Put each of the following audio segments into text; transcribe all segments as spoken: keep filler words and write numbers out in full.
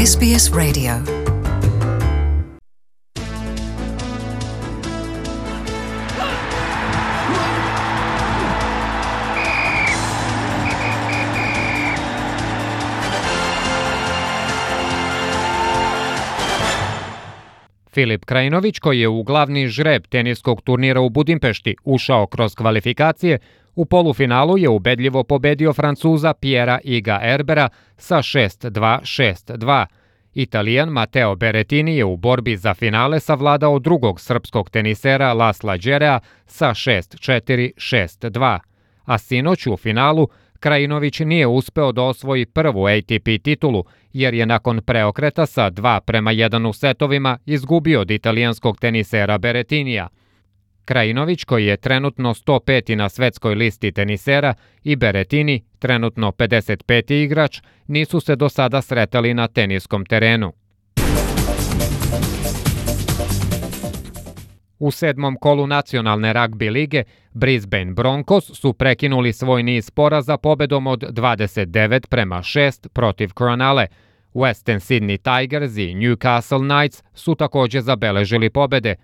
S B S Radio. Filip Krajinović, koji je u glavni žreb teniskog turnira u Budimpešti ušao kroz kvalifikacije, u polufinalu je ubedljivo pobedio Francuza Pierra Iga Herbera sa šest dva šest dva. Italijan Matteo Berrettini je u borbi za finale savladao drugog srpskog tenisera Lasla Đerea sa šest četiri šest dva. A sinoć u finalu Krajinović nije uspeo da osvoji prvu A T P titulu, jer je nakon preokreta sa dva prema jedan u setovima izgubio od italijanskog tenisera Berrettinija. Krajinović, koji je trenutno sto peti na svetskoj listi tenisera, i Berrettini, trenutno pedeset peti igrač, nisu se do sada sretali na teniskom terenu. U sedmom kolu nacionalne ragbi lige Brisbane Broncos su prekinuli svoj niz poraza pobedom od dvadeset devet prema šest protiv Cronulle. Western Sydney Tigers i Newcastle Knights su također zabeležili pobede.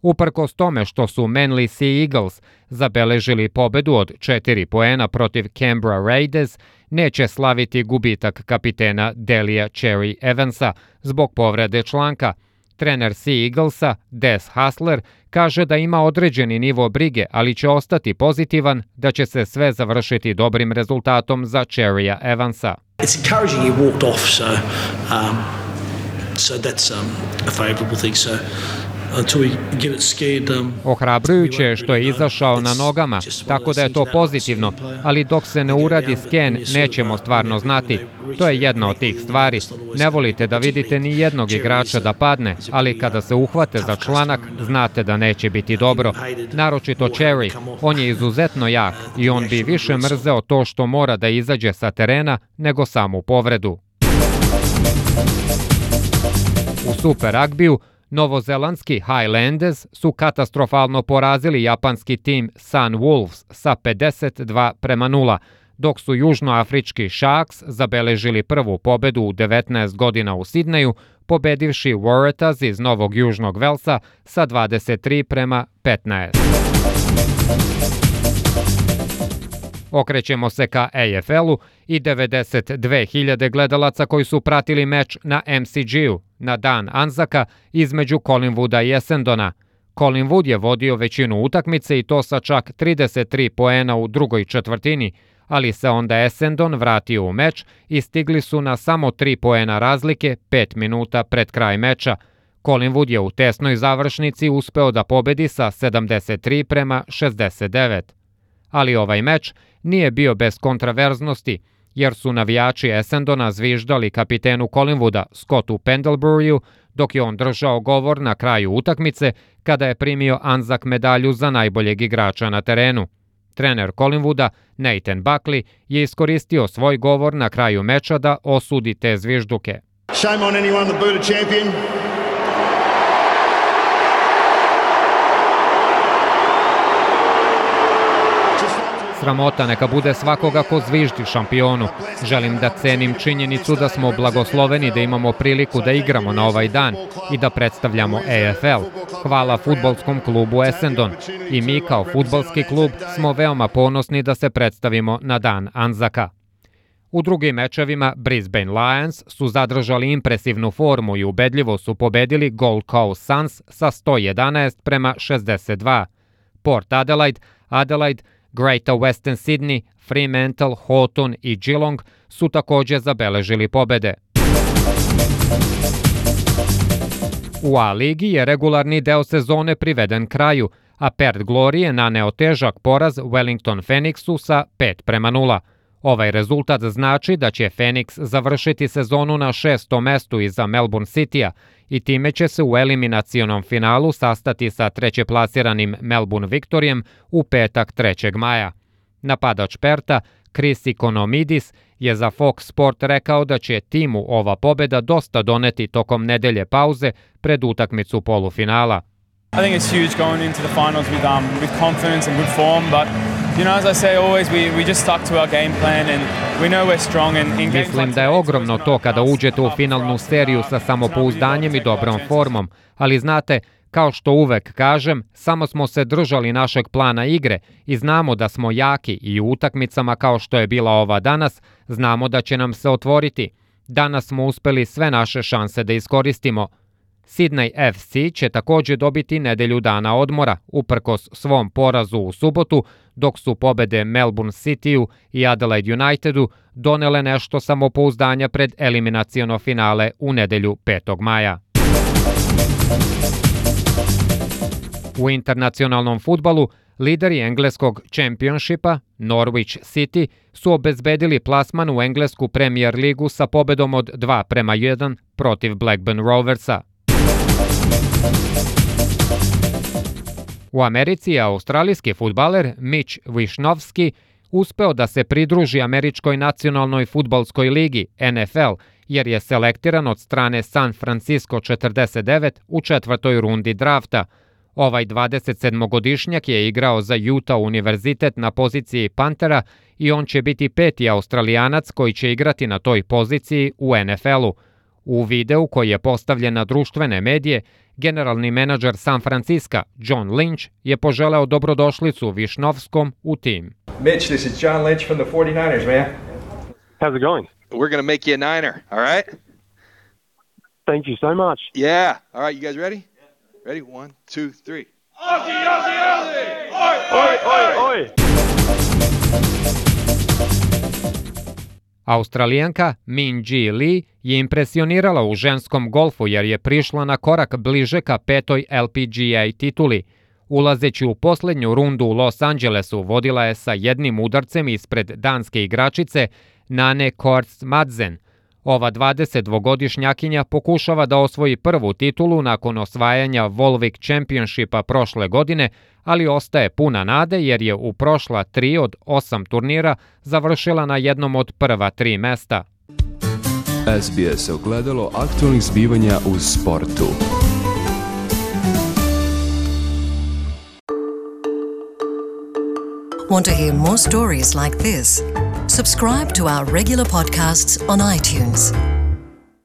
Uprkos tome što su Manly Sea Eagles zabeležili pobedu od četiri poena protiv Canberra Raiders, neće slaviti gubitak kapitena Delija Cherry Evansa zbog povrede članka. Trener Sea Eaglesa, Des Hasler, kaže da ima određeni nivo brige, ali će ostati pozitivan da će se sve završiti dobrim rezultatom za Cherrya Evansa. It's encouraging he walked off, so um, so that's um, a favorable thing. So until we get it scared, um, Ohrabrujuće je što je izašao na nogama, tako da je to pozitivno, ali dok se ne uradi sken, nećemo stvarno znati. To je jedna od tih stvari. Ne volite da vidite ni jednog igrača da padne, ali kada se uhvate za članak, znate da neće biti dobro. Naročito Cherry, on je izuzetno jak i on bi više mrzeo to što mora da izađe sa terena nego samu povredu. U Super ragbiju novozelandski Highlanders su katastrofalno porazili japanski tim Sun Wolves sa pedeset dva prema nula, dok su južnoafrički Sharks zabeležili prvu pobedu u devetnaest godina u Sidneju, pobedivši Waratahs iz Novog Južnog Velsa sa dvadeset tri prema petnaest. Okrećemo se ka A F L-u i devedeset dve hiljade gledalaca koji su pratili meč na M C G-u na dan Anzaka između Collingwooda i Essendona. Collingwood je vodio većinu utakmice i to sa čak trideset tri poena u drugoj četvrtini, ali se onda Essendon vratio u meč i stigli su na samo tri poena razlike pet minuta pred kraj meča. Collingwood je u tesnoj završnici uspeo da pobedi sa sedamdeset tri prema šezdeset devet. Ali ovaj meč nije bio bez kontraverznosti, jer su navijači Essendona zviždali kapitenu Collingwooda Scottu Pendleburyju, dok je on držao govor na kraju utakmice kada je primio Anzac medalju za najboljeg igrača na terenu. Trener Collingwooda, Nathan Buckley, je iskoristio svoj govor na kraju meča da osudi te zvižduke. Shame on anyone that booed a champion. Sramota neka bude svakoga ko zviždi šampionu. Želim da cenim činjenicu da smo blagosloveni da imamo priliku da igramo na ovaj dan i da predstavljamo A F L. Hvala fudbalskom klubu Essendon. I mi kao fudbalski klub smo veoma ponosni da se predstavimo na dan Anzaka. U drugim mečevima Brisbane Lions su zadržali impresivnu formu i ubedljivo su pobedili Gold Coast Suns sa sto jedanaest prema šezdeset dva. Port Adelaide, Adelaide, Greater Western Sydney, Fremantle, Hawthorn i Geelong su također zabeležili pobede. U A ligi je regularni deo sezone priveden kraju, a Perth Glory je naneo težak poraz Wellington Phoenixu sa pet prema nula. Ovaj rezultat znači da će Phoenix završiti sezonu na šestom mestu iza Melbourne Citya i time će se u eliminacionom finalu sastati sa trećeplasiranim Melbourne Victorijem u petak trećeg maja. Napadač Perta, Chris Ikonomidis, je za Fox Sport rekao da će timu ova pobeda dosta doneti tokom nedelje pauze pred utakmicu polufinala. I think it's huge going into the finals with um with confidence and good form, but You know, as I say always, we, we just stuck to our game plan and we know we're strong in, in games. Mislim da je ogromno to kada uđete u finalnu seriju sa samopouzdanjem i dobrom formom, ali znate, kao što uvek kažem, samo smo se držali našeg plana igre i znamo da smo jaki i u utakmicama kao što je bila ova danas, znamo da će nam se otvoriti. Danas smo uspeli sve naše šanse da iskoristimo. Sydney F C će takođe dobiti nedelju dana odmora, uprkos svom porazu u subotu, dok su pobede Melbourne Cityu i Adelaide Unitedu donele nešto samopouzdanja pred eliminaciono finale u nedelju petog maja. U internacionalnom fudbalu lideri engleskog Championshipa, Norwich City, su obezbedili plasman u englesku Premier ligu sa pobedom od dva prema jedan protiv Blackburn Roversa. U Americi je australijski fudbaler Mitch Wishnowsky uspeo da se pridruži Američkoj nacionalnoj fudbalskoj ligi N F L, jer je selektiran od strane San Francisco četrdeset devet u četvrtoj rundi drafta. Ovaj dvadesetsedmogodišnjak je igrao za Utah univerzitet na poziciji pantera i on će biti peti Australijanac koji će igrati na toj poziciji u N F L-u. U videu koji je postavljen na društvene medije, generalni menadžer San Francisca John Lynch je poželeo dobrodošlicu Višnovskom u tim. Mitch, this is John Lynch from the forty-niners, man. How's it going? We're going to make you a Niner, all right? Thank you so much. Yeah. All right, you guys ready? Ready? One, two, three. Aussie, Aussie, Aussie! Oi, Oi, oi, oi! Australijanka Min Ji Lee je impresionirala u ženskom golfu jer je prišla na korak bliže ka petoj L P G A tituli. Ulazeći u poslednju rundu u Los Angelesu, vodila je sa jednim udarcem ispred danske igračice Nane Koerstz Madsen. Ova dvadesetdvogodišnjakinja pokušava da osvoji prvu titulu nakon osvajanja Volvic Championshipa prošle godine, ali ostaje puna nade jer je u prošla tri od osam turnira završila na jednom od prva tri mesta. S B S ogledalo aktualnih zbivanja u sportu. Want to hear more stories like this? Subscribe to our regular podcasts on iTunes.